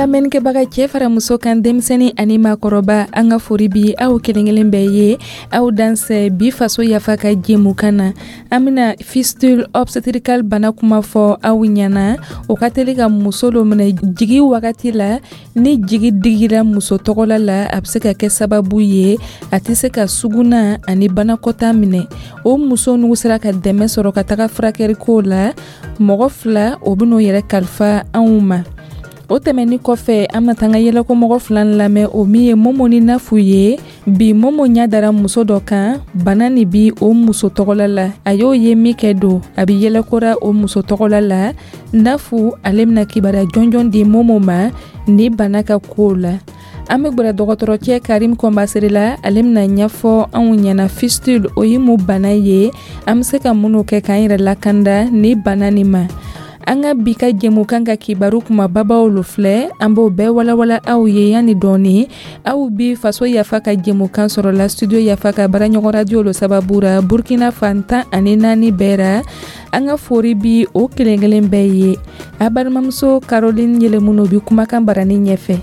Lamɛnnikɛbaga, cɛ fara muso kan, denmisɛnnin ani maakɔrɔba, an ka fori bi aw kelen kelen bɛɛ ye. Aw dansɛ bi Faso Yafa ka jɛmukan na. An bena fistule obstétrical bana kuma fɔ aw ɲɛna. O ka teli ka muso lo minɛ jigi wagati la. Ni jigi digira muso tɔgɔla la, a be se ka kɛ sababu ye a tɛ se ka suguna ani banakɔta minɛ. O muso n'u sera ka dɛmɛ sɔrɔ ka taga furakɛrikow la, mɔgɔ fila o ben'o yɛrɛ kalifa anw ma. O tɛmɛni kɔfɛ, an bena taa ka yɛlɛkomɔgɔ fila lamɛn, o min ye Momo ni Nafu ye. Bi, Momo ɲa dara muso dɔ kan, bana nin bi o muso tɔgɔla la. A y'o ye min kɛ don, a bi yɛlɛkora o muso tɔgɔla la. Nafu, ale bena kibaruya jɔnjɔn di Momo ma ni bana ka kow la. An be gwɛrɛ dɔgɔtɔrɔcɛ Karim Kɔnbasere la. Ale bena ɲɛfɔ anw ɲɛna fistule, o ye mun bana ye, an be se ka minnu kɛ k'an yɛrɛ lakanda ni bana nin ma. An ka bi ka jɛmukan ka kibaru kumababaw lo filɛ. An b'o bɛɛ walawala aw ye yanni dɔɔni. Aw bi Faso Yafa ka jɛmukan sɔrɔla Studio Yafa ka baaraɲɔgɔn radio lo sababu ra, Burkina fan 14 bɛɛ ra. An ka fori bi o kelen kelen bɛɛ ye. A balimamuso Caroline Yɛlɛmuno bi kumakan barani ɲɛfɛ.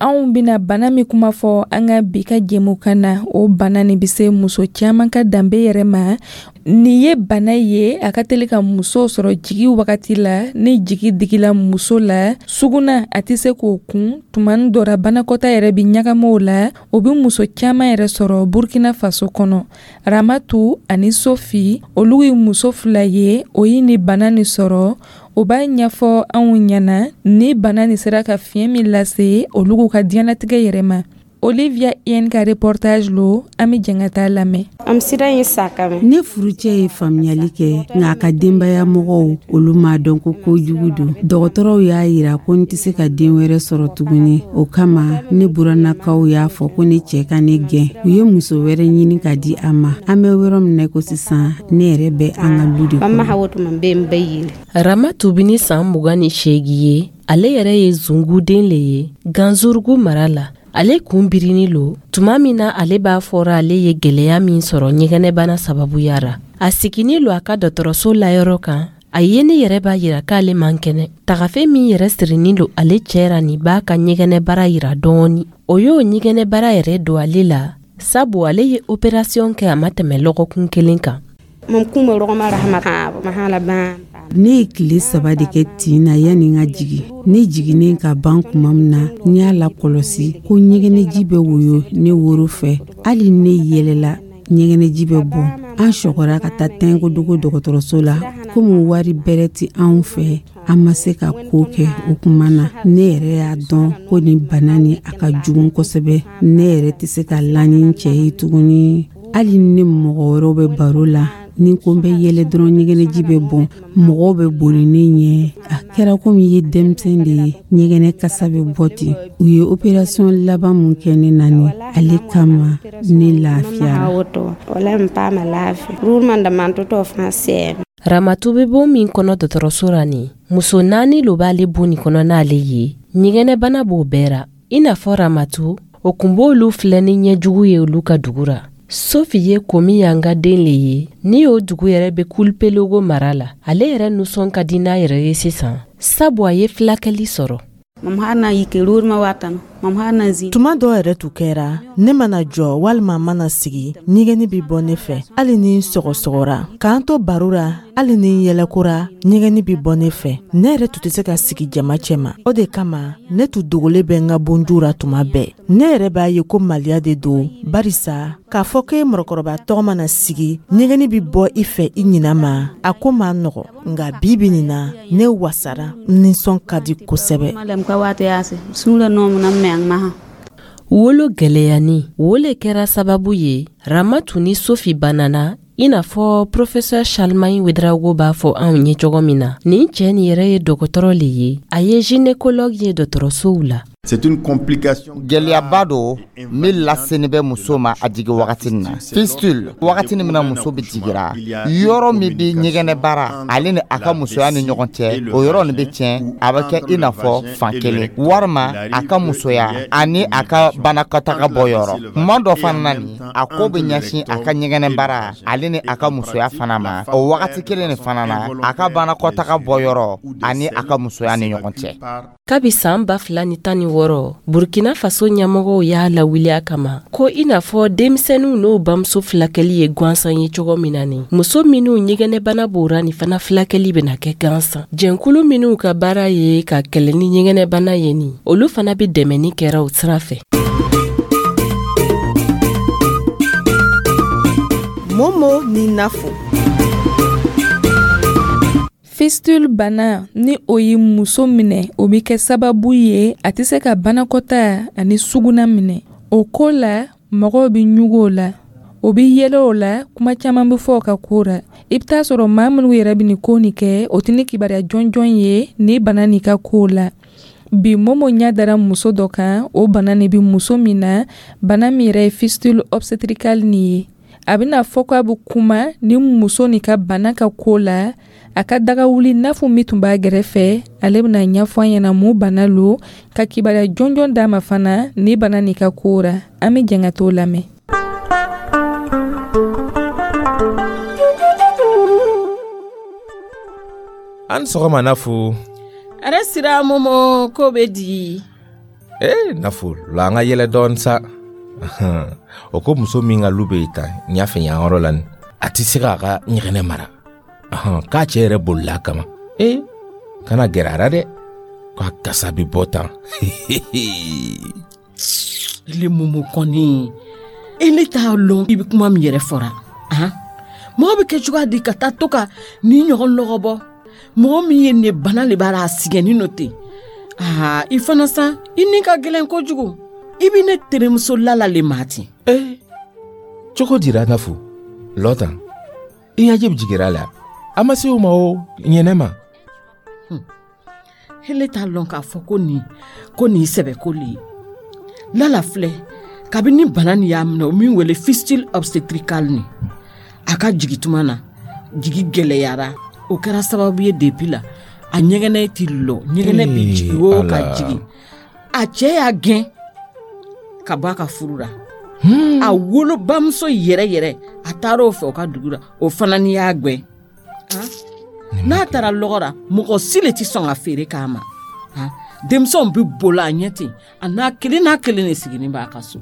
Anw bena bana min kuma fɔ an ka bi ka jɛmukan na, o bana nin be se muso caaman ka danbe yɛrɛ ma. Nin ye bana ye, a ka teli ka muso sɔrɔ jigi wagati la. Ni jigi digila muso la, suguna a tɛ se k'o kun. Tuma dɔ ra, banakɔta yɛrɛ bi ɲagami o la. O be muso caaman yɛrɛ sɔrɔ Burkina Faso kɔnɔ. Ramatu ani Sofi, olu ye muso fila ye, o ye ni bana nin sɔrɔ. O b'a ɲɛfɔ anw ɲɛna ni bana nin sera ka fiɲɛ min lase olu ka diɲɛlatigɛ yɛrɛ ma. Olivia Yen ka reportage lo, an bɛ jɛn ka taa lamɛn. Ne furucɛ ye faamuyali kɛ, nka a ka denbaya mɔgɔw, olu m'a dɔn ko kojugu don. Dɔgɔtɔrɔw y'a yira ko n tɛ se ka den wɛrɛ sɔrɔ tuguni. O kama, ne burannakaw y'a fɔ ko ne cɛ ka ne gɛn. U ye muso wɛrɛ ɲini ka di a ma. An bɛ yɔrɔ min na ko sisan, ne yɛrɛ bɛ an ka lu de kɔnɔ. Ramatu bi ni san 28 ye. Ale yɛrɛ ye zunguden le ye Ganzurugu mara la. Ale kun birini lo tuma min na ale b'a fɔra ale ye gwɛlɛya min sɔrɔ ɲɛgɛnɛbana sababuya ra. A sigini lo a ka dɔgɔtɔrɔso layɔrɔ kan. A yeni yɛrɛ b'a yira k'ale man kɛnɛ. Tagafe min yɛrɛ sirinin lo ale cɛ ra nin b'a ka ɲɛgɛnɛbara yira dɔɔni. O y'o ɲɛgɛnɛbara yɛrɛ don ale la, sabu ale ye operasiyɔn kɛ a ma tɛmɛ lɔgɔkun kelen kan. Ne ye tile 3 de kɛ tin na yanni n ka jigin. Ne jiginnen ka ban tuma min na, n y'a lakɔlɔsi ko ɲɛgɛnɛji bɛ woyo ne woro fɛ. Hali ne yɛlɛla, ɲɛgɛnɛji bɛ bɔ. An sɔgɔra ka taa Tɛnkodogo dɔgɔtɔrɔso la. Komi wari bɛrɛ tɛ anw fɛ, an ma se ka ko kɛ o kuma na. Ne yɛrɛ y'a dɔn ko nin bana nin, a ka jugu kosɛbɛ. Ne yɛrɛ tɛ se ka la ni n cɛ ye tuguni. Hali ni mɔgɔ wɛrɛw bɛ baro la, ni ko n bɛ yɛlɛ dɔrɔn, ɲɛgɛnɛji bɛ bɔn. Mɔgɔw bɛ boli ne ɲɛ. A kɛra komi i ye denmisɛn de ye, ɲɛgɛnɛ kasa bɛ bɔ ten. U ye operasiyɔn laban mun kɛ ne na nin, ale kama ne lafiyara. Ramatu bɛ bon min kɔnɔ dɔgɔtɔrɔso ra nin, muso naani lo b'ale bon nin kɔnɔ n'ale ye. Ɲɛgɛnɛbana b'o bɛɛ ra. I n'a fɔ Ramatu, o kun b'olu filɛ ni ɲɛjugu ye olu ka dugu ra. Sofi ye komi y'an ka den le ye ni o dugu yɛrɛ bɛ Kulpelogo mara la. Ale yɛrɛ nusɔn ka di n'a yɛrɛ ye sisan, sabu a ye filakɛli sɔrɔ. Tuma dɔw yɛrɛ tun kɛra, ne mana jɔ walima mana sigi, ɲɛgɛnni bɛ bɔ ne fɛ. Hali ni n sɔgɔsɔgɔra, k'an to baro la, hali ni n yɛlɛkora, ɲɛgɛnni bɛ bɔ ne fɛ. Ne yɛrɛ tun tɛ se ka sigi jama cɛma. O de kama, ne tun dogolen bɛ n ka bonju ra tuma bɛɛ. Ne yɛrɛ b'a ye ko maliya de don, barisa k'a fɔ k'e mɔgɔkɔrɔba tɔgɔ mana sigi, ɲɛgɛnni bɛ bɔ i fɛ i ɲina ma, a ko man nɔgɔ. Nka bi bi nin na, ne wasara, n nisɔn ka di kosɛbɛ. Wolo gwɛlɛyani wo le kɛra sababu ye Ramatu ni Sofi banana, i n'a fɔ professeur Charlemagne Ouédraogo b'a fɔ anw ye cogo min na. Nin cɛ nin yɛrɛ ye dɔgɔtɔrɔ le ye, a ye gynécologue ye dɔgɔtɔrɔsow la. C'est une complication. Gɛlɛyaba don min laseni bɛ muso ma a jigi wagati na. Fistule, wagati min na muso bɛ jigira, yɔrɔ min bɛ ɲɛgɛnɛbara ale ni a ka musoya ni ɲɔgɔn cɛ, o yɔrɔ nin bɛ tiɲɛ. A bɛ kɛ i n'a fɔ fan kelen walima a ka musoya ani a ka banakɔtaga bɔ yɔrɔ. Kuma dɔ fana na nin, a ko bɛ ɲɛsin a ka ɲɛgɛnɛbara ale ni a ka musoya fana ma o wagati kelen nin fana na, a ka banakɔtaga bɔ yɔrɔ ani a ka musoya ni ɲɔgɔn cɛ. Kabi saan 2016, Burkina Faso ɲɛmɔgɔw y'a lawuli a kama ko i n'a fɔ denmisɛnninw n'o bamuso filakɛli ye gansan ye cogo min na, nin muso minw ɲɛgɛnɛbana b'ora nin fana filakɛli bena kɛ gansan. Jɛnkulu minw ka baara ye ka kɛlɛ ni ɲɛgɛnɛbana ye nin, olu fana be dɛmɛni kɛra o sira fɛ. Momo ni Nafo. Fistule bana, ni o ye muso minɛ, o bɛ kɛ sababu ye a tɛ se ka banakɔtaa ani suguna minɛ. O ko la, mɔgɔw bɛ ɲugu o la, o bɛ yɛlɛ o la, kuma caman bɛ fɔ o ka ko la. I bɛ taa sɔrɔ maa minnu yɛrɛ bɛ nin ko nin kɛ, o tɛ ni kibaruya jɔnjɔn ye ni bana nin ka ko la. Bi, Momo ɲɛ dara muso dɔ kan, o bana nin bɛ muso min na, bana min yɛrɛ ye fistule obstétricale nin ye. A bɛna fɔ k'a bɛ kuma ni muso nin ka bana ka ko la. A ka daga wuli Nafu min tun b'a gɛrɛfɛ, ale bɛna ɲɛfɔ an ɲɛna mun bana lo, ka kibaruya jɔnjɔn d'a ma fana ni bana nin ka ko ra. An bɛ jɛn ka t'o lamɛn. An sɔgɔma, Nafu. Are sira, Momo, ko bɛ di? Ee Nafu, la an ka yɛlɛ dɔɔni sa. O ko muso min ka lu bɛ tan ɲɛfɛ yan yɔrɔ la nin, a tɛ se k'a ka ɲɛgɛnɛ mara, k'a cɛ yɛrɛ bolila a kama. Ee, kana gɛrɛ a la dɛ, k'a kasa bɛ bɔ tan. Ele Momo kɔni, ele t'a lɔn i bɛ kuma min yɛrɛ fɔra. Han, mɔgɔ bɛ kɛ cogoya di ka taa to ka nin ɲɔgɔn lɔgɔ bɔ? Mɔgɔ min ye nin bana le b'a la, a sɛgɛnnin nɔ ten. Aa, i fana sa, i ni ka gɛlɛn kojugu. I bɛ ne terimuso Lala le maa ten. Ee, cogo dira, Nafu? Lɔ tan, i ɲɛji bɛ jigira la, a ma se o ma o ɲɛnɛ ma. Hele t'a lɔn k'a fɔ ko nin sɛbɛko le ye. Lala filɛ, kabini bana nin y'a minɛ, o min wele fistule obstétricale nin, a ka jigi tuma na, jigi gɛlɛyara. O kɛra sababu ye, depuis la, a ɲɛgɛnɛ ti lɔ, ɲɛgɛnɛ bi jigi o ka jigin. A cɛ y'a gɛn ka bɔ a ka furu la. A wolobamuso yɛrɛ yɛrɛ, a taara o fɛ o ka dugu la, o fana ni y'a gwɛn. N'a taara lɔgɔ la, mɔgɔ si le ti sɔn ka feere k'a ma. Denmisɛnw bɛ bolo a ɲɛ ten, a n'a kelen n'a kelen de sigilen b'a ka so.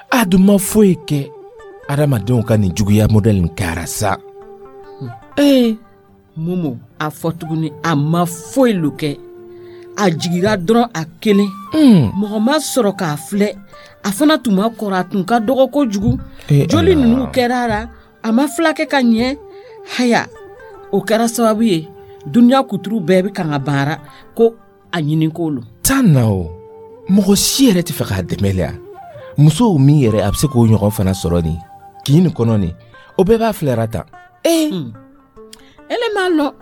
A dun ma foyi kɛ. Adamadenw ka nin juguya modèle nin kɛra sa. Ee Momo, a fɔ tuguni, a ma foyi lo kɛ. A jigira dɔrɔn a kelen, mɔgɔ ma sɔrɔ k'a filɛ. A fana tun ma kɔrɔ, a tun ka dɔgɔ kojugu. Joli ninnu kɛra a la, a ma filakɛ ka ɲɛ. Haya, o kɛra sababu ye, duniya kuturu bɛɛ bɛ kan ka baara ko a ɲini ko lo. Tan na, o mɔgɔ si yɛrɛ tɛ fɛ k'a dɛmɛ le. Musow min yɛrɛ a bɛ se k'o ɲɔgɔn fana sɔrɔ nin kin nin kɔnɔ nin, o bɛɛ b'a filɛra tan. Ee, ele m'a lɔn,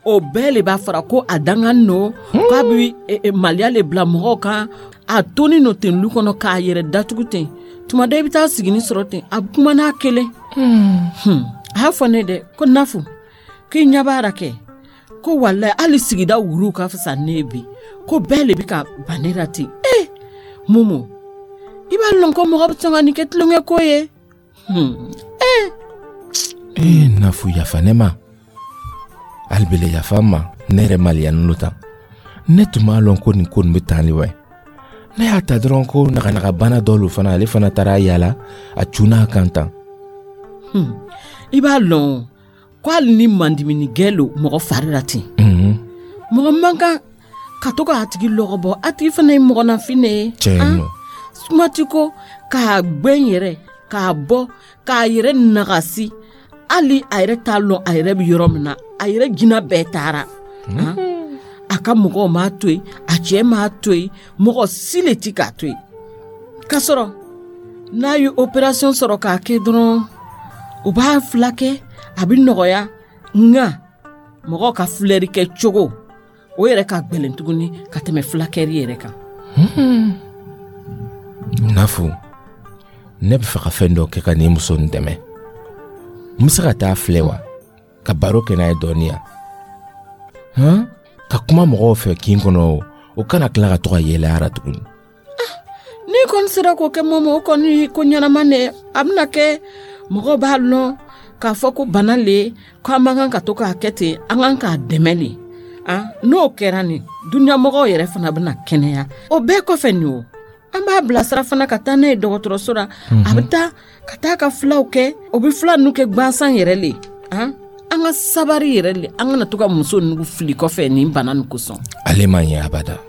o bɛɛ le b'a fɔra ko a dangan nɔ, k'a bɛ maliya le bila mɔgɔw kan. A toni nɔ ten lu kɔnɔ k'a yɛrɛ datugu ten. Tuma dɔ i bɛ taa sigini sɔrɔ ten, a bɛ kuma n'a kelen. A y'a fɔ ne dɛ ko Nafu, k'i ɲɛ b'a la kɛ, ko walayi, hali sigida wuruw ka fisa ne ye bi, ko bɛɛ le bɛ ka ban ne la ten. Ee Momo, i b'a lɔn ko mɔgɔ bɛ sɔn ka nin kɛ tulonkɛ ko ye. Ee. Ee Nafu, yafa ne ma hali yafa n ma, ne yɛrɛ maliyanin lo tan. Ne tun b'a lɔn ko nin ko nin bɛ tan de wa. Ne y'a ta dɔrɔn ko naganagabana dɔ lo fana, ale fana taara yaala a cunna a kan tan. I b'a lɔn ko hali ni mandimini gɛ lo mɔgɔ fari la ten, mɔgɔ man kan ka to k'a tigi lɔgɔ bɔ. A tigi fana ye mɔgɔnafin de ye. Tiɲɛ nɔ. Kuma ti ko k'a gbɛn yɛrɛ k'a bɔ k'a yɛrɛ nagasi, hali a yɛrɛ t'a lɔn a yɛrɛ bɛ yɔrɔ min na. A yɛrɛ jinɛ bɛɛ taara. A ka mɔgɔw m'a to yen, a cɛ m'a to yen, mɔgɔ si le ti k'a to yen. K'a sɔrɔ n'a ye opération sɔrɔ k'a kɛ dɔrɔn, u b'a filakɛ, a bɛ nɔgɔya. Nka mɔgɔw ka filɛri kɛ cogo, O yɛrɛ ka gwɛlɛn tuguni ka tɛmɛ fulakɛri yɛrɛ kan. Nafu, ne bɛ fɛ ka fɛn dɔ kɛ ka nin muso nin dɛmɛ. N bɛ se ka taa filɛ wa, ka baro kɛ n'a ye dɔɔni yan, han, ka kuma mɔgɔw fɛ kin kɔnɔ, o kana tila ka to ka yɛlɛ a ra tuguni. N'i kɔni sera k'o kɛ, Mɔmɔ, o kɔni ko ɲɛnama ne. A bɛna kɛ mɔgɔw b'a lɔn k'a fɔ ko bana le, ko an man kan ka to k'a kɛ ten, an kan k'a dɛmɛ le. N'o kɛra nin, duniyamɔgɔw yɛrɛ fana bɛna kɛnɛya. O bɛɛ kɔfɛ nin, o an b'a bilasira fana ka taa n'a ye dɔgɔtɔrɔso la. A bɛ taa ka taa ka filaw kɛ, o bɛ fila ninnu kɛ gansan yɛrɛ le. An ka sabari yɛrɛ le, an kana to ka muso ninnu fili kɔfɛ nin bana nin kosɔn. Ale man ɲɛ abada.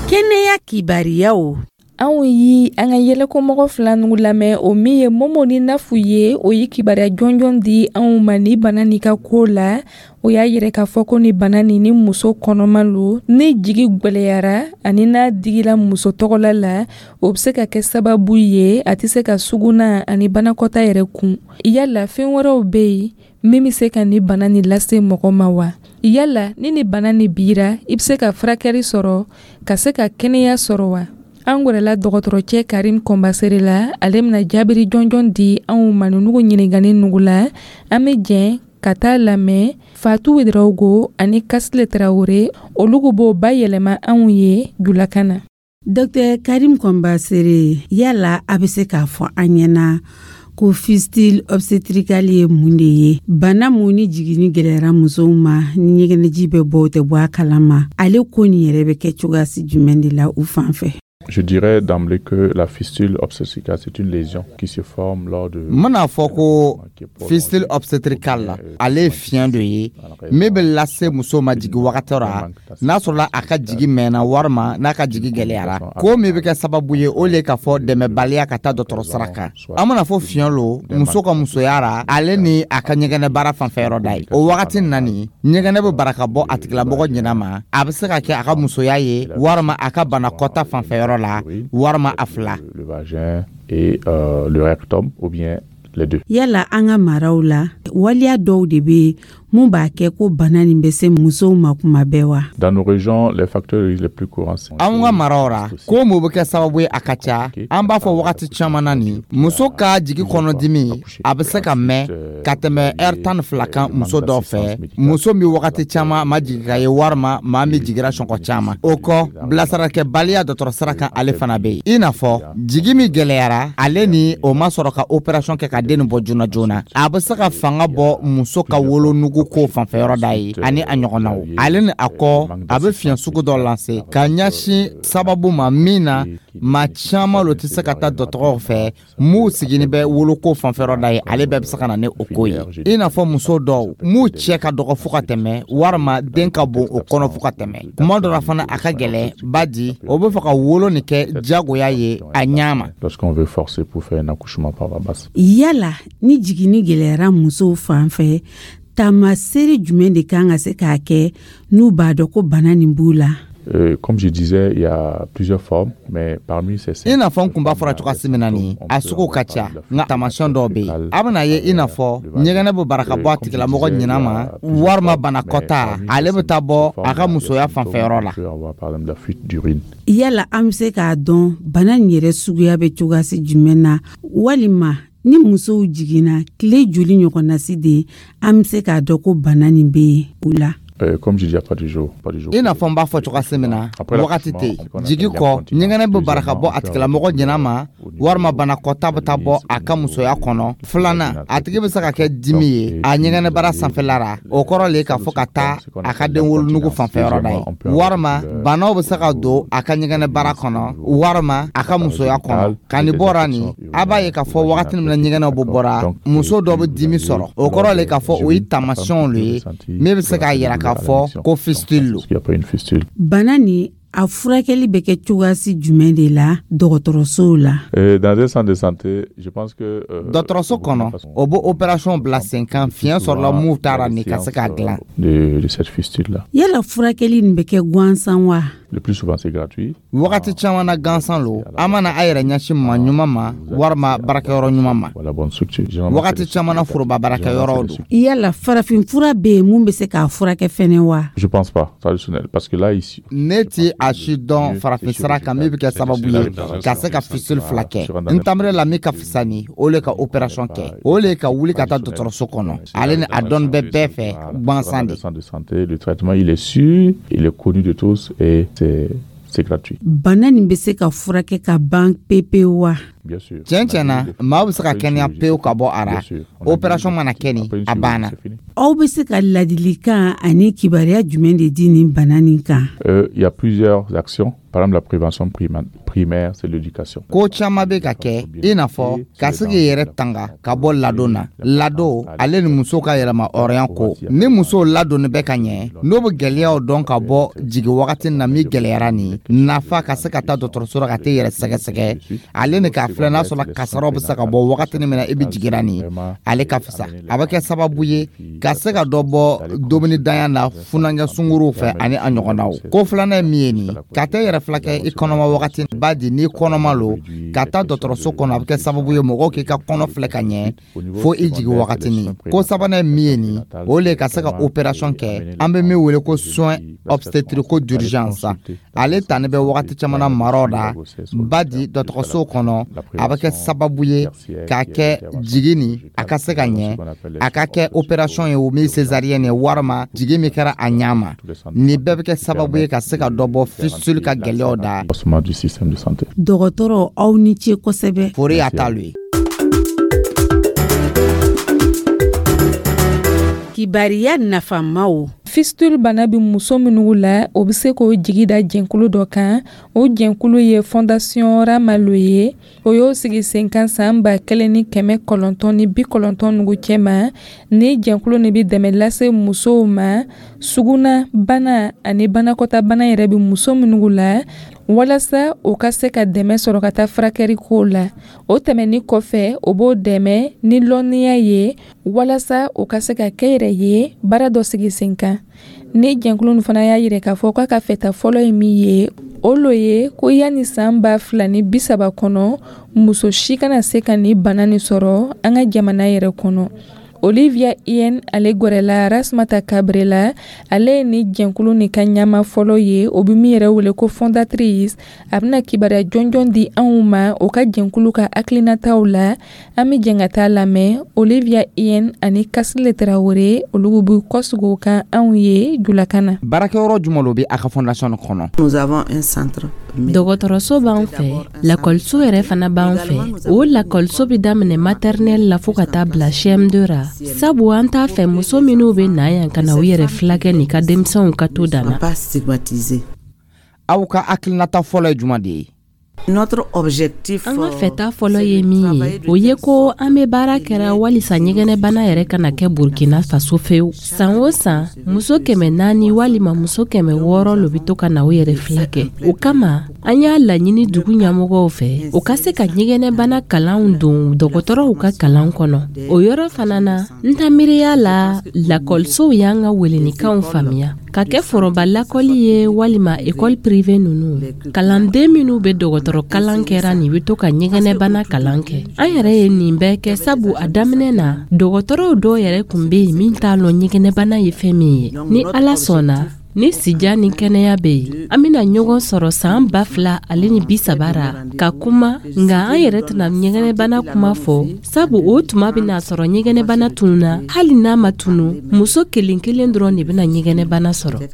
Kɛnɛya kibariyaw. Anw yi an ka yɛlɛkomɔgɔ fila nugu lamɛn, o min ye Momo ni Nafu ye, o ye kibaruya jɔnjɔn di anw ma ni bana nin ka ko la. O y'a yɛrɛ k'a fɔ ko ni bana nin, ni muso kɔnɔma lo, ni jigi gwɛlɛyara ani n'a digila muso tɔgɔla la, o bɛ se ka kɛ sababu ye a tɛ se ka suguna ani banakɔta yɛrɛ kun. Yala fɛn wɛrɛw bɛ yen min bɛ se ka ni bana nin lase mɔgɔ ma wa? Yala ni bana nin bira, i bɛ se ka furakɛli sɔrɔ ka se ka kɛnɛya sɔrɔ wa? An gwɛrɛla dɔgɔtɔrɔcɛ Karim Kɔnbasere la, ale bɛna jaabiri jɔnjɔn di anw ma nugu ɲininkani nugu la. An bɛ jɛn ka taa lamɛn Fatu Ouedraogo ani Kasile Traoré, olu b'o bayɛlɛma anw ye julakan na. Dr Karim Kɔnbasere, yala a bɛ se k'a fɔ an ɲɛna ko fistule obstétricale ye mun de ye? Bana mun ni jiginni gɛlɛyara musow ma, ni ɲɛgɛnɛji bɛ bɔ, o tɛ bɔ a kalama, ale ko nin yɛrɛ bɛ kɛ cogoya si jumɛn de la u fan fɛ? Je dirais d'emblée que la fistule obstétricale, c'est une lésion qui se forme lors de... N bɛna fɔ ko fistule obstétricale la, ale ye fiɲɛ dɔ ye min bɛ lase muso ma jigi wagati ra, n'a sɔrɔla a ka jigi mɛnna walima n'a ka jigi gɛlɛyara. Ko min bɛ kɛ sababu ye, o le k'a fɔ dɛmɛbaliya ka taa dɔgɔtɔrɔ sira kan. An bɛna fɔ fiɲɛ lo muso ka musoya ra, ale ni a ka ɲɛgɛnɛ baara fanfɛ yɔrɔ da ye. O wagati na nin, ɲɛgɛnɛ bɛ bara ka bɔ a tigilamɔgɔ ɲɛna ma. A bɛ se ka kɛ a ka musoya ye walima a ka banakɔta fanfɛ yɔrɔ la, walima a fila. Le vagin et le rectum, ou bien les deux. Yala an ka maraw la, waliya dɔw de bɛ yen mun b'a kɛ ko bana nin bɛ se musow ma kuma bɛɛ wa? Dans nos régions, les facteurs les plus courants sont... Anw ka maraw ra, ko mun bɛ kɛ sababu ye, a ka ca. An b'a fɔ wagati caman na nin, muso ka jigi kɔnɔdimi, a bɛ se ka mɛn ka tɛmɛ ɛri 12 kan muso dɔw fɛ, muso min wagati caman ma jigi ka ye, walima maa min jigira sɔngɔ caman. O kɔ, bilasarakɛbaliya dɔgɔtɔrɔ sira kan, ale fana bɛ yen. I n'a fɔ jigi min gɛlɛyara, ale ni o ma sɔrɔ ka opération kɛ ka den nin bɔ joona joona, a bɛ se ka fanga bɔ muso ka wolonugu ko fanfɛ yɔrɔ da ye ani a ɲɔgɔnnaw. Ale ni a kɔ, a bɛ fiɲɛ sugu dɔ lase ka ɲɛsin sababu ma min na maa caman lo tɛ se ka taa dɔgɔtɔrɔw fɛ m'u sigini bɛ woloko fanfɛ yɔrɔ da ye. Ale bɛɛ bɛ se ka na ni o ko ye. I n'a fɔ muso dɔw m'u cɛ ka dɔgɔ fo ka tɛmɛ, walima den ka bon o kɔnɔ fo ka tɛmɛ. Kuma dɔ la fana, a ka gɛlɛn badi o bɛ fɛ ka wolo nin kɛ jagoya ye a ɲa ma. Lorsqu'on veut forcer pour faire un accouchement par voie basse. Yala ni jiginni gɛlɛyara musow fan fɛ, taamasere jumɛn de kan ka se k'a kɛ n'u b'a dɔn ko bana nin b'u la? Comme je disais, il y a plusieurs formes, mais parmi ces... I n'a fɔ n kun b'a fɔra cogoya min na nin, a sugu ka ca, nka taamasiyɛn dɔw bɛ yen, a bɛna ye, i n'a fɔ ɲɛgɛnɛ bɛ bara ka bɔ a tigilamɔgɔ ɲina ma, walima banakɔta, ale bɛ taa bɔ a ka musoya fanfɛyɔrɔ la. Yala an bɛ se k'a dɔn bana nin yɛrɛ suguya bɛ cogoya si jumɛn na, walima ni musow jiginna tile joli ɲɔgɔnnasi de an bɛ se k'a dɔn ko bana nin bɛ yen u la? Comme je dis, pas du jour, pas du jour. I n'a fɔ n b'a fɔ cogoya min na, wagati tɛ yen. Jigi kɔ, ɲɛgɛnɛ bɛ bara ka bɔ a tigilamɔgɔ ɲɛna ma, walima banakɔta bɛ taa bɔ a ka musoya kɔnɔ. Filanan, a tigi bɛ se ka kɛ dimi ye a ɲɛgɛnɛbara sanfɛla la, o kɔrɔ le k'a fɔ ka taa a ka den wolonugu fanfɛyɔrɔ da ye, walima banaw bɛ se ka don a ka ɲɛgɛnɛbara kɔnɔ, walima a ka musoya kɔnɔ. Ka nin bɔra nin, a b'a ye k'a fɔ wagati min na ɲɛgɛnɛw bɛ bɔra, muso dɔ bɛ dimi sɔrɔ, o kɔrɔ le k'a fɔ o ye taamasiyɛnw le ye min bɛ se k'a yira k'a fɔ ko fistule lo. Bana ni A furakɛli bɛ kɛ cogoyasi jumɛn de la dɔgɔtɔrɔsow la? Dans un centre de santé, je pense que Dɔgɔtɔrɔso kɔnɔ, o bɛ opération bila sen kan, fiɲɛ sɔrɔla mun taara nin ka se k'a dilan. De cette fistule là. Yala furakɛli nin bɛ kɛ gansan wa? Le plus souvent, c'est gratuit. Wagati caman na, gansan lo. An mana a yɛrɛ ɲɛsin maa ɲuman ma walima baarakɛyɔrɔ ɲuman ma. Voilà, bonne structure. Wagati caman na, foroba baarakɛyɔrɔw don. Yala farafin fura bɛ yen mun bɛ se k'a furakɛ fɛnɛ wa? Je pense pas, traditionnel, parce que là, ici. Ne ti a si dɔn farafin sira kan min bɛ kɛ sababu ye ka se ka fistule fila kɛ. N tamire la, min ka fisa ni o le ka opération kɛ, o le ka wuli ka taa dɔgɔtɔrɔso kɔnɔ. Ale ni a dɔnni bɛ bɛɛ fɛ gansan de. Centre de santé, le traitement, il est sûr, il est connu de tous et c'est gratuit. Bana nin bɛ se ka furakɛ ka ban pepewu wa? Bien sûr. Tiɲɛ tiɲɛ na, maa bɛ se ka kɛnɛya pewu ka bɔ a ra. Opération mana kɛ nin, a banna. Aw bɛ se ka ladilikan ani kibaruya jumɛn de di nin bana nin kan? Il y a plusieurs actions. Par exemple, la prévention primaire, c'est l'éducation. Ko caman bɛ ka kɛ, i n'a fɔ ka se k'i yɛrɛ tanga ka bɔ ladon na. Ladon ale ni muso ka yɛlɛma hɔrɔnya ko, ni muso ladonni bɛ ka ɲɛ, n'o bɛ gɛlɛyaw dɔn ka bɔ jigin wagati na min gɛlɛyara, nin nafa ka se ka taa dɔgɔtɔrɔso la ka t'i yɛrɛ sɛgɛsɛgɛ, ale ni k'a filɛ n'a sɔrɔ kasaraw bɛ se ka bɔ wagati min na i bɛ jiginra nin, ale ka fisa. A bɛ kɛ sababu ye ka se ka dɔ bɔ dumuni danya na funankɛ sunkuruw fɛ ani a ɲɔgɔnnaw. Ko filanan ye min ye nin, ka taa yɛrɛ filakɛ i kɔnɔma wagati ba di, n'i kɔnɔma lo, ka taa dɔgɔtɔrɔso kɔnɔ, a bɛ kɛ sababu ye mɔgɔw k'i ka kɔnɔ filɛ ka ɲɛ fo i jigin wagatinin. Ko sabanan ye min ye nin, o le ka se ka opération kɛ, an bɛ min wele ko soins obstétricaux d'urgence. Ale tani bɛ wagati caman na maraw la ba di dɔgɔtɔrɔso kɔnɔ. A bɛ kɛ sababu ye k'a kɛ jigin nin a ka se ka ɲɛ, a ka kɛ opération ye o min césarienne ye walima jigin min kɛra a ɲɛ ma. Nin bɛɛ bɛ kɛ sababu ye ka se ka dɔ bɔ fistule ka gɛlɛyaw da. Du système de santé. Dɔgɔtɔrɔ, aw ni ce kosɛbɛ. Fori y'a t'alu ye. Kibariya nafamaw. Fistule bana bɛ muso minnu la, o bɛ se k'o jigi da jɛnkulu dɔ kan. O jɛnkulu ye Fondation Ramalo ye. O y'o sigi sen kan san 1990 nugu cɛma. Ni jɛnkulu nin bɛ dɛmɛ lase musow ma, suguna bana ani banakɔta bana yɛrɛ bɛ muso minnu la, walasa o ka se ka dɛmɛ sɔrɔ ka taa furakɛli kow la. O tɛmɛni kɔfɛ, o b'o dɛmɛ ni lɔnniya ye walasa o ka se ka kɛ yɛrɛ ye baara dɔ sigi sen kan. Ni jɛnkulu nin fana y'a yira k'a fɔ k'a ka fɛta fɔlɔ ye min ye, o lo ye ko yanni san 2030 kɔnɔ, muso si kana se ka nin bana nin sɔrɔ an ka jamana yɛrɛ kɔnɔ. Olivia Ien, ale gwɛrɛla Rasmata Kabre la. Ale ye ni jɛnkulu nin ka ɲama fɔlɔ ye, o bɛ min yɛrɛ wele ko fondatrice. A bɛna kibaruya jɔnjɔn di anw ma o ka jɛnkulu ka hakilinataw la. An bɛ jɛn ka taa lamɛn. Olivia Ien ani Kasile Tarawele, olu bɛ kɔsigi o kan anw ye julakan na. Baarakɛyɔrɔ jumɛn lo bɛ a ka fondation kɔnɔ? Nous avons un centre. Dɔgɔtɔrɔso b'an fɛ, lakɔliso yɛrɛ fana b'an fɛ. O lakɔliso bɛ daminɛ maternelle la fo ka taa bila CM2 ra, sabu an t'a fɛ muso minnu bɛ na yan ka na u yɛrɛ filakɛ ni ka denmisɛnw ka to dan na. Aw ka hakilinata fɔlɔ ye jumɛn de ye? Notre objectif, An ka fɛta fɔlɔ ye min ye, o ye ko an bɛ baara kɛra walisa ɲɛgɛnɛbana yɛrɛ kana kɛ Burkina Faso fewu. San o san, muso 400 walima muso 600 lo bɛ to ka na u yɛrɛ filakɛ. O kama, an y'a laɲini dugu ɲɛmɔgɔw fɛ, u ka se ka ɲɛgɛnɛbana kalanw don dɔgɔtɔrɔw ka kalan kɔnɔ. O yɔrɔ fana na, n ta miiriya la, lakɔlisow y'an ka welenikanw faamuya ka kɛ foroba lakɔli ye walima école privée ninnu. Kalanden minnu bɛ dɔgɔtɔrɔ kalan kɛra nin bɛ to ka ɲɛgɛnɛbana kalan kɛ. An yɛrɛ ye nin bɛɛ kɛ sabu a daminɛ na, dɔgɔtɔrɔw dɔw yɛrɛ tun bɛ yen min t'a lɔn ɲɛgɛnɛbana ye fɛn min ye. Ni Ala sɔnna, ni sija ni kɛnɛya bɛ yen, an bɛna ɲɔgɔn sɔrɔ san 2030 ra ka kuma. Nka an yɛrɛ tɛna ɲɛgɛnɛbana kuma fɔ, sabu o tuma bɛna sɔrɔ ɲɛgɛnɛbana tununa. Hali n'a ma tunu, muso kelen kelen dɔrɔn de bɛna ɲɛgɛnɛbana sɔrɔ.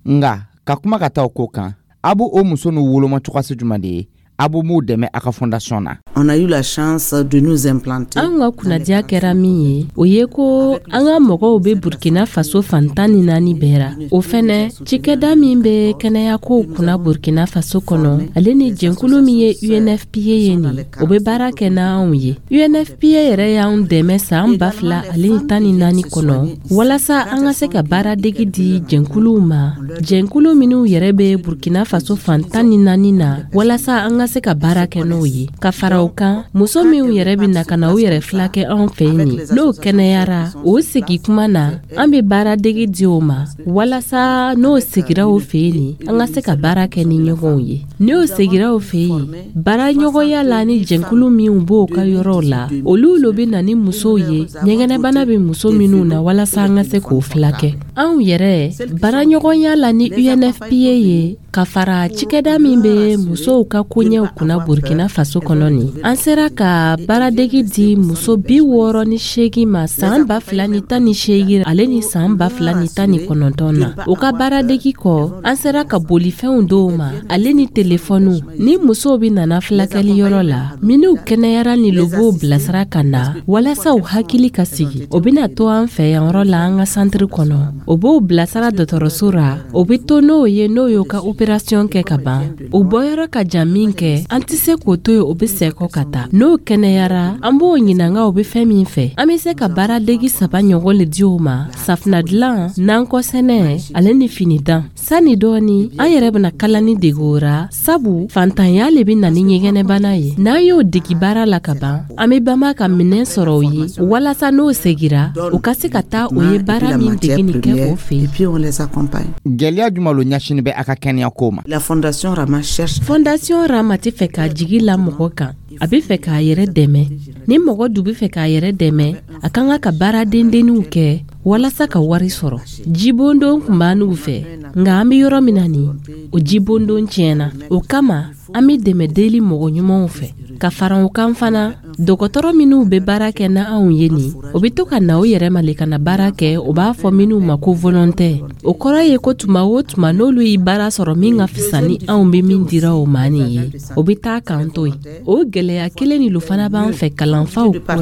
Nka ka kuma ka taa o ko kan, a b'o o muso n'u woloma cogoyasi jumɛn de ye? A b'o m'u dɛmɛ a ka fondation na. On a eu la chance de nous implanter. Anw ka kunnadiya kɛra min ye, o ye ko an ka mɔgɔw bɛ Burkina Faso fan 14 bɛɛ ra. O fɛnɛ, cikɛda min bɛ kɛnɛyakow kunna Burkina Faso kɔnɔ, ale ni jɛnkulu min ye UNFPA ye nin, o bɛ baara kɛ n'anw ye. UNFPA yɛrɛ y'anw dɛmɛ san 2014 kɔnɔ walasa an ka se ka baaradegi di jɛnkuluw ma, jɛnkulu minnu yɛrɛ bɛ Burkina Faso fan 14 na, walasa an ka se ka baara kɛ n'o ye. Ka fara o kan, muso minw yɛrɛ bɛ na ka na u yɛrɛ filakɛ anw fɛ yen nin, n'o kɛnɛyara, o segi kuma na, an bɛ baaradegi di o ma walasa n'o segira o fɛ yen nin, an ka se ka baara kɛ ni ɲɔgɔnw ye. N'o segira o fɛ yen, baaraɲɔgɔnya la ni jɛnkulu minw b'o ka yɔrɔw la, olu lo bɛ na ni musow ye ɲɛgɛnɛbana bɛ muso minnu na walasa an ka se k'o filakɛ. Anw yɛrɛ, baaraɲɔgɔnya la ni UNFPA ye, ka fara cikɛda min bɛ musow ka koɲɛw kunna Burkina Faso kɔnɔ nin, an sera ka baaradegi di muso 68 ma san 2018 ale ni san 2019 na. O ka baaradegi kɔ, an sera ka bolifɛnw dɔw ma ale ni telefɔniw. Ni musow bɛ nana filakɛli yɔrɔ la, minnu kɛnɛyara ni lo b'o bilasira ka na walasa u hakili ka sigi. O bɛna to an fɛ yan yɔrɔ la an ka santiri kɔnɔ, o b'o bilasira dɔgɔtɔrɔso ra, o bɛ to n'o ye n'o y'o ka operasiyɔn kɛ ka ban. O bɔyɔrɔ ka jan min kɛ, an tɛ se k'o to yen, o bɛ sɛgɔ ka taa. N'o kɛnɛyara, an b'o ɲininka o bɛ fɛn min fɛ. An bɛ se ka baaradegi 3 ɲɔgɔn le di o ma: safunɛ dilan, nankɔ sɛnɛ ale ni fini dan. Sani dɔɔni, an yɛrɛ bɛna kalani dege o ra, sabu fantanya le bɛ na ni ɲɛgɛnɛbana ye. N'an y'o degi baara la ka ban, an bɛ banba ka minɛn sɔrɔ o ye walasa n'o segira, u ka se ka taa o ye baara min degi nin kɛ o fɛ yen. Et puis on les accompagne. Gɛlɛya jumɛn lo ɲɛsinin bɛ a ka kɛnɛya ko ma? La Fondation Rama cherche. Fondation Rama tɛ fɛ k'a jigi la mɔgɔ kan, a bɛ fɛ k'a yɛrɛ dɛmɛ. Ni mɔgɔ du bɛ fɛ k'a yɛrɛ dɛmɛ, a ka kan ka baara dendenninw kɛ walasa ka wari sɔrɔ. Jibondon tun b'an n'u fɛ, nka an bɛ yɔrɔ min na nin, o jibondon tiɲɛna. O kama, an bɛ dɛmɛ deli mɔgɔ ɲumanw fɛ. Ka fara o kan fana, dɔgɔtɔrɔ minnu bɛ baara kɛ na anw ye nin, o bɛ to ka na u yɛrɛ ma le ka na baara kɛ. O b'a fɔ minnu ma ko volontaire. O kɔrɔ ye ko tuma o tuma n'olu ye baara sɔrɔ min ka fisa ni anw bɛ min dira o ma nin ye, o bɛ taa k'an to yen. O gɛlɛya kelen nin lo fana b'an fɛ kalanfaw ko la.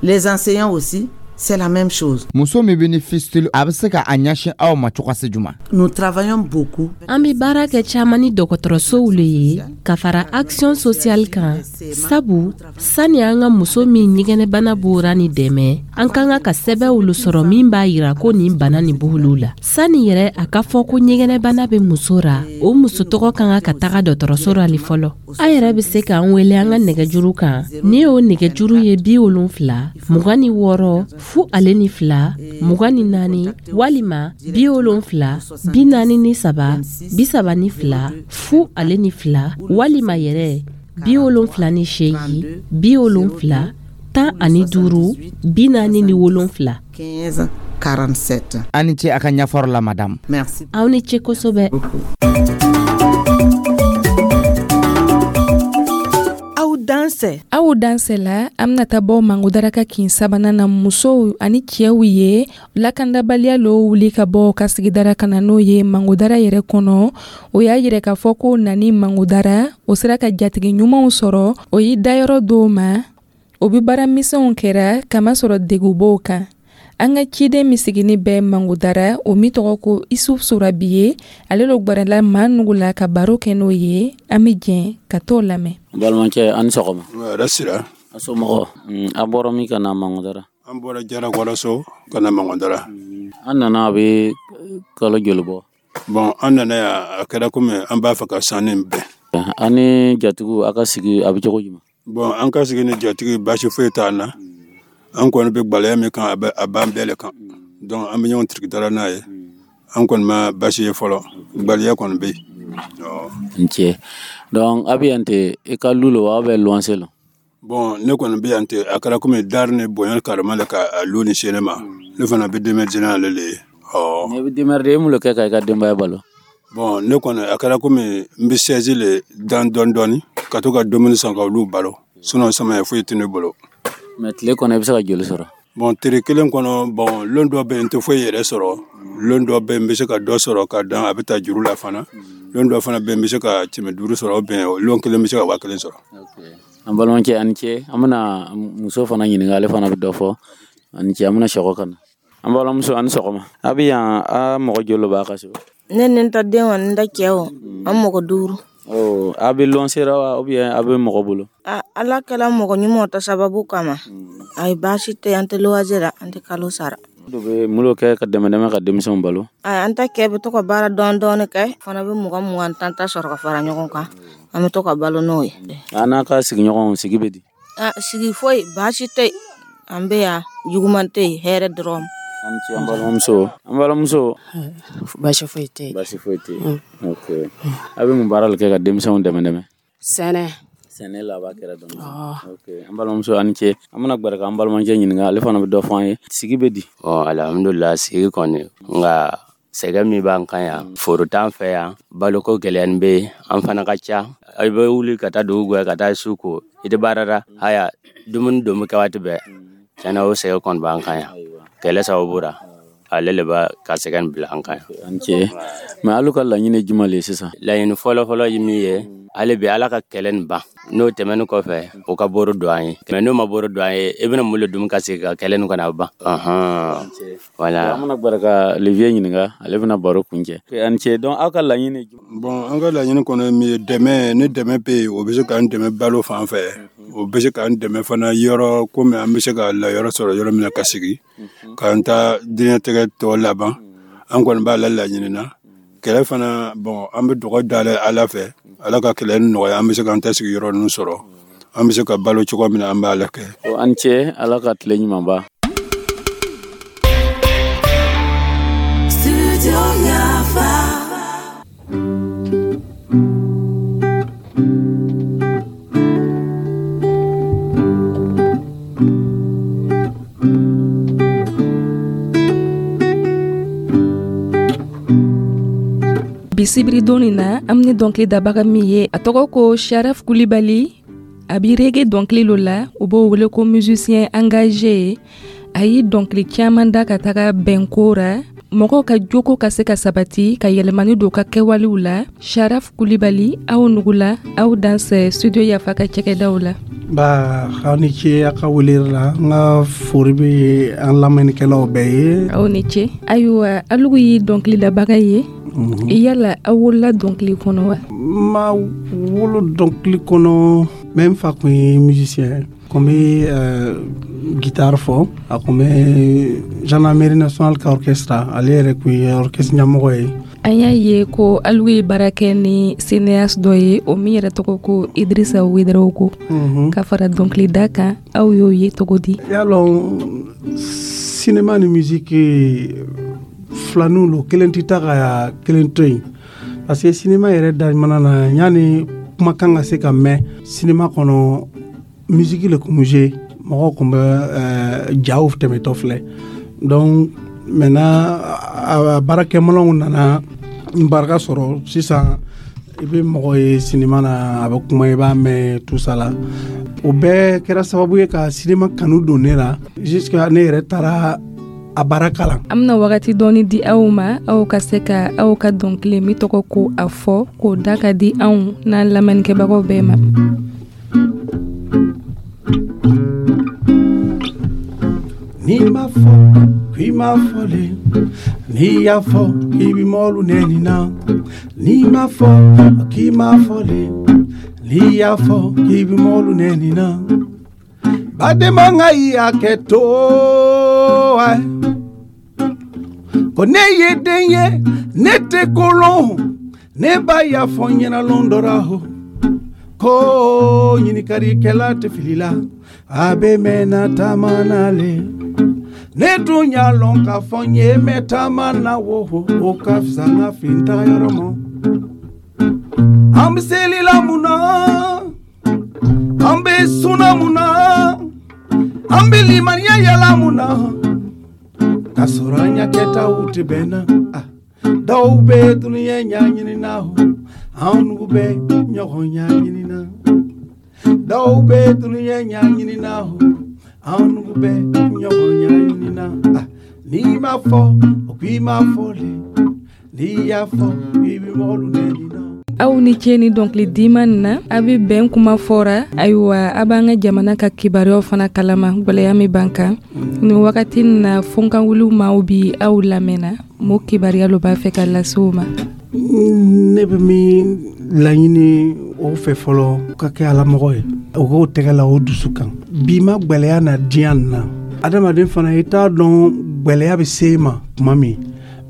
Les enseignants aussi, c'est la même chose. Muso min bɛ ni fistule, a bɛ se ka a ɲɛsin aw ma cogoya jumɛn? Nous travaillons beaucoup. An bɛ baara kɛ caman ni dɔgɔtɔrɔsow le ye ka fara action sociale kan, sabu sani an ka muso min ɲɛgɛnɛbana b'ora ni dɛmɛ, an ka kan ka sɛbɛnw lo sɔrɔ min b'a yira ko nin bana nin b'olu la. Sani yɛrɛ a ka fɔ ko ɲɛgɛnɛbana bɛ muso ra, o muso tɔgɔ ka kan ka taga dɔgɔtɔrɔso ra le fɔlɔ. An yɛrɛ bɛ se k'an wele an ka nɛgɛjuru kan, ni o nɛgɛjuru ye 70 26 02 24 walima 70 43 32 02 walima yɛrɛ 78 70 15 47. 15 47. Aw ni ce a ka ɲɛfɔrɔ la, madame. Merci. Aw ni ce kosɛbɛ. Aw dansɛ. Aw dansɛ la, an bɛna taa bɔ Mangodara ka kin sabanan na, musow ani cɛw ye lakandabaliya lo wuli ka bɔ ka sigidara ka na n'o ye Mangodara yɛrɛ kɔnɔ. O y'a yira k'a fɔ ko nani Mangodara, o sera ka jatigi ɲumanw sɔrɔ, o y'i dayɔrɔ dɔw ma, o bɛ baara misɛnw kɛra kamasɔrɔ degun b'o kan. An ka ciden min sigini bɛ Mangodara, o min tɔgɔ ko Isuf Sorabi ye, ale lo gwarala maa nugu la ka baro kɛ n'o ye. An bɛ jɛn ka t'o lamɛn. N balimakɛ, an ni sɔgɔma. Hɛrɛ sira. A somɔgɔw? A bɔra min ka na Mangodara? An bɔra Jarakɔrɔso ka na Mangodara. An nana a bɛ kalo joli bɔ? Bon, an nana yan, a kɛra komi an b'a fɛ ka sanni bɛn. An ni jatigiw, a ka sigi a bɛ cogo jumɛn? Bon, an ka sigi ni jatigi baasi foyi t'an na. An kɔni bɛ gwɛlɛya min kan, a b'an bɛɛ le kan. Donc an bɛ ɲɔgɔn tirikitara n'a ye. An kɔni ma baasi ye fɔlɔ, gwɛlɛya kɔni bɛ yen. N cɛ. Donc a bɛ yan ten, i ka lu lo wa, aw bɛ luwanse lo? Bon, ne kɔni bɛ yan ten, a kɛra komi dari ni bonya karama le ka a lu ni se ne ma. Ne fana bɛ denmisɛnnin ale le ye. Ne bɛ démerder, e mun le kɛ ka i ka denbaya balo? Bon, ne kɔni a kɛra komi n bɛ sɛzi le dan dɔɔni dɔɔni ka to ka dumuni san ka olu balo. Sinon samaya foyi tɛ ne bolo. Mais tile kɔnɔ i bɛ se ka joli sɔrɔ? Bon, tere kelen kɔnɔ, bon, lon dɔ bɛ yen, n tɛ foyi yɛrɛ sɔrɔ. Lon dɔ bɛ yen, n bɛ se ka dɔ sɔrɔ ka dan, a bɛ taa juru la fana. Lon dɔ fana bɛ yen, n bɛ se ka 500 sɔrɔ, bɛn lon kelen n bɛ se ka 1000 sɔrɔ. An balimakɛ, a ni ce. An bɛna muso fana ɲininka, ale fana bɛ dɔ fɔ. A ni ce. An bɛna sɔgɔ ka na. An balimamuso, a ni sɔgɔma. A bɛ yan, a mɔgɔ joli b'a ka so? Ne ni n ta den wa, n ta cɛ o, an mɔgɔ 5. A bɛ luwanse ra wa, ou bien a bɛ mɔgɔ bolo? Ala kɛla mɔgɔ ɲumanw ta sababu kama. Ayi, baasi tɛ, an tɛ luwanse la, an tɛ kalo sara. Dɔ bɛ mun kɛ ka dɛmɛ dɛmɛ ka denmisɛnw balo? An ta kɛ bɛ to ka baara dɔɔni dɔɔni kɛ, fana bɛ 20 20 tan tan sɔrɔ ka fara ɲɔgɔn kan, an bɛ to ka balo n'o ye. A n'a ka sigiɲɔgɔnw, sigi bɛ di? Sigi foyi baasi tɛ, an bɛ yan, juguman tɛ yen, hɛrɛ dɔrɔn. An ce, an balimamuso, an balimamuso. Baasi foyi tɛ. Baasi foyi tɛ. Ok, a bɛ mun baara de kɛ ka denmisɛnw dɛmɛ dɛmɛ? Sɛnɛ. Sɛnɛ la b'a kɛra dɔn. Ok, an balimamuso, a ni ce. An bɛna gbɛrɛ ka an balimakɛ ɲininka, ale fana bɛ dɔ fɔ an ye. Sigi bɛ di? Ɔ, alhamdulila, sigi kɔni, nka sɛgɛn min b'an kan yan, foro t'an fɛ yan, baloko gɛlɛyanin bɛ yen, an fana ka ca. I bɛ wuli ka taa dugu gwɛ, ka taa su ko, i tɛ baara la, haya dumuni don bɛ kɛ waati bɛɛ. Tiɲɛna, o sɛgɛn kɔni b'an kan yan. Kɛlɛ sababu ra, ale le b'a ka sɛgɛn bila an kan yan. An ce. Mais alu ka laɲini ye jumɛn le ye sisan? Laɲini fɔlɔfɔlɔ ye min ye, hali bi Ala ka kɛlɛ nin ban. N'o tɛmɛnin kɔfɛ, o ka boro don an ye. Mais n'o ma boro don an ye, i bɛna mun le dun ka sigi ka kɛlɛ nin kana ban? Voilà. An bɛna gbɛrɛ ka Olivier ɲininka, ale bɛna baro kuncɛ. An ce. Donc aw ka laɲini ye jumɛn? Bon, an ka laɲini kɔnɔ ye min ye, dɛmɛ, ni dɛmɛ bɛ yen, o bɛ se k'an dɛmɛ balo fan fɛ. O bɛ se k'an dɛmɛ fana yɔrɔ, komi an bɛ se ka layɔrɔ sɔrɔ yɔrɔ min na ka sigi, k'an ta diɲɛtigɛ tɔ laban. An kɔni b'a la laɲini na. Kɛlɛ fana, bon, an bɛ dugawu da Ala fɛ, Ala ka kɛlɛ nɔgɔya, an bɛ se k'an ta sigi yɔrɔ ninnu sɔrɔ, an bɛ se ka balo cogo min na, an b'a la kɛ. An ce, Ala ka tile ɲuman ban. Bi sibiridon nin na, an ni dɔnkili dabaga min ye, a tɔgɔ ko Sharaf Kulibali. A bi reggae dɔnkili lo la, u b'o wele ko musicien engagé ye. A ye dɔnkili caman da ka taga bɛnko ra, mɔgɔw ka joko ka se ka sabati, ka yɛlɛmani don ka kɛwalew la. Sharaf Kulibali, aw nugula, aw dansɛ studio Yafa ka cɛkɛdaw la. Ba, aw ni ce a ka weleli la. N ka fori bɛ an lamɛnnikɛlaw bɛɛ ye. Aw ni ce. Ayiwa, alugu ye dɔnkilidabaga ye. Yala aw wolola dɔnkili kɔnɔ wa? N ma wolo dɔnkili kɔnɔ, mais n fa kun ye musicien, kun bɛ guitare fɔ, a kun bɛ gendarmerie nationale ka orchestre, ale yɛrɛ kun ye orchestre ɲɛmɔgɔ ye. An y'a ye ko alu ye baara kɛ ni cinéaste dɔ ye, o min yɛrɛ tɔgɔ ko Idrissa Ouédraogo. Ka fara dɔnkilida kan, aw y'o ye cogo di? Y'a lɔn, cinéma ni musique filaninw lo, kelen tɛ taa ka kelen to yen, parce que cinéma yɛrɛ daminɛ na, yanni kumakan ka se ka mɛn cinéma kɔnɔ, musique le kun bɛ jouer, mɔgɔw kun bɛ jaw tɛmɛtɔ filɛ. Donc maintenant, a baarakɛminɛnw nana barika sɔrɔ. Sisan i bɛ mɔgɔ ye cinéma na, a bɛ kuma, i b'a mɛn, tout ça la. O bɛɛ kɛra sababu ye ka cinéma kanu don ne la, jusqu'à ne yɛrɛ taara a baara kalan. An bɛna wagati dɔɔni di aw ma, aw ka se ka aw ka dɔnkili min tɔgɔ ko a fɔ, k'o da ka di anw n'an lamɛnnikɛbagaw bɛɛ ma. N'i ma fɔ k'i ma fɔlen, n'i y'a fɔ k'i bi mɔlu nɛni na. N'i ma fɔ k'i ma fɔlen, n'i y'a fɔ k'i bi mɔlu nɛni na. Badenma ŋa i y'a kɛ to ai. Ko ne ye den ye, ne tɛ kolon, ne ba y'a fɔ n ɲɛna lon dɔ ra ho. Ko ɲininkalikɛla tɛ fili la, a bɛ mɛnna taama na le. Ne dun y'a lɔn k'a fɔ n ye mɛn taama na wo, o ka fisa n ka fili n taga yɔrɔ ma. An bɛ seli la mun na? An bɛ sunna mun na? An bɛ limaniya yala mun na? K'a sɔrɔ an ɲa kɛtaw tɛ bɛn na. Dɔw bɛ dunuya ɲaɲini na, anw nugu bɛ ɲɔgɔn ɲaɲini na. Dɔw bɛ dunuya ɲaɲini na, Anw bɛ ɲɔgɔn ɲɛɲini na. N'i ma fɔ, o k'i ma fɔ le. N'i y'a fɔ, i bɛ mɔgɔlu nɛni na. Aw ni ce ni dɔnkili diman nin na. A bɛ bɛn kuma fɔra. Ayiwa, a b'an ka jamana ka kibaruyaw fana kalama, gwɛlɛya min b'an kan nin wagati nin na. Fɔnkanwuli maaw bi aw lamɛnna, mo kibaruya lo b'a fɛ ka lase u ma. Ne bɛ min laɲini o fɛ fɔlɔ, ka kɛ alamɔgɔ ye, o k'o tɛgɛ la o dusu kan. Bi ma gwɛlɛya na diɲɛ nin na, adamaden fana, i t'a dɔn gwɛlɛya bɛ se e ma tuma min.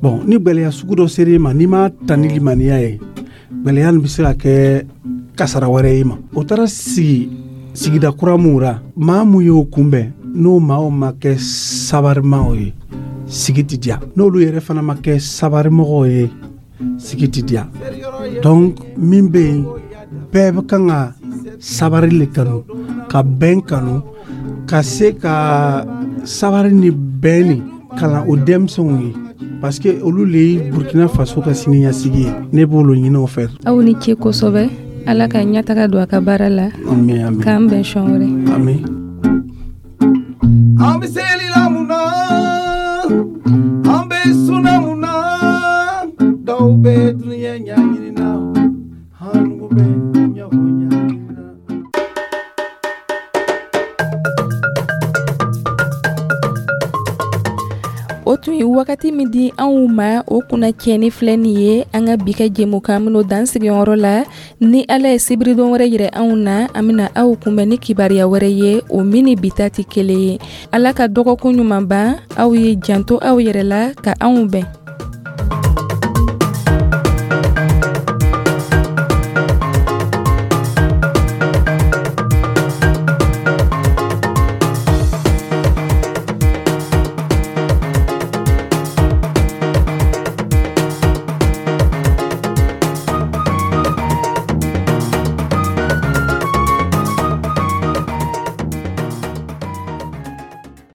Bɔn, ni gwɛlɛya sugu dɔ sera e ma, n'i m'a ta ni limaniya ye, gwɛlɛya nin bɛ se ka kɛ kasara wɛrɛ ye ma. O taara sigi sigida kura mun ra, maa mun y'o kunbɛn, n'o maaw ma kɛ sabarimaw ye, sigi tɛ diya. N'olu yɛrɛ fana ma kɛ sabarimɔgɔw ye, sigi tɛ diya. Donc min bɛ yen, bɛɛ bɛ kan ka sabari le kanu, ka bɛn kanu, ka se ka sabari ni bɛn ni kalan o denmisɛnw ye, parce que olu le ye Burkina Faso ka siniɲɛsigi ye. Ne b'olu ɲini o fɛ. Aw ni ce kosɛbɛ. Ala ka ɲɛtaga don a ka baara la. Ami, ami. K'an bɛn sɔn wɛrɛ. Ami. An bɛ seli la mun na? An bɛ sunna mun na? Dɔw bɛ dunuya ɲɛɲini na, an bɛ ɲɔgɔn ɲɛɲini na. O tun ye wagati min di anw ma, o kunna tiɲɛni filɛ nin ye. An ka bi ka jɛmukan minnu dan sigiyɔrɔ la, ni Ala ye sibiridon wɛrɛ yirɛ anw na, an bɛna aw kunbɛn ni kibaruya wɛrɛ ye, o min ni bi ta tɛ kelen ye. Ala ka dɔgɔkun ɲuman ban aw ye. Janto aw yɛrɛ la, ka anw bɛn.